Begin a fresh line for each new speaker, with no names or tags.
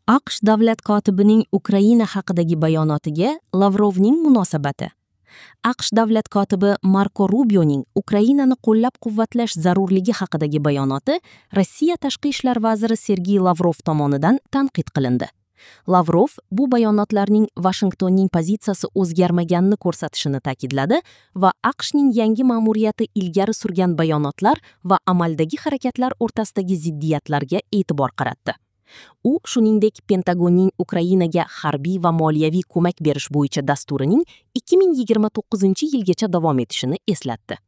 AQSh davlat kotibining Ukraina haqidagi bayonotiga Lavrovning munosabati. AQSh davlat kotibi Marko Rubioning Ukrainani qo'llab-quvvatlash zarurligi haqidagi bayonoti Rossiya tashqi ishlar vaziri Sergey Lavrov tomonidan tanqid qilindi. Lavrov bu bayonotlarning Vashingtonning pozitsiyasi o'zgarmaganini ko'rsatishini ta'kidladi va AQShning yangi ma'muriyati ilgari surgan bayonotlar va amaldagi harakatlar o'rtasidagi ziddiyatlarga e'tibor qaratdi. U shuningdek Pentagonning Ukrainaga harbiy va moliyaviy ko'mak berish bo'yicha dasturining 2029-yilgacha davom etishini eslatdi.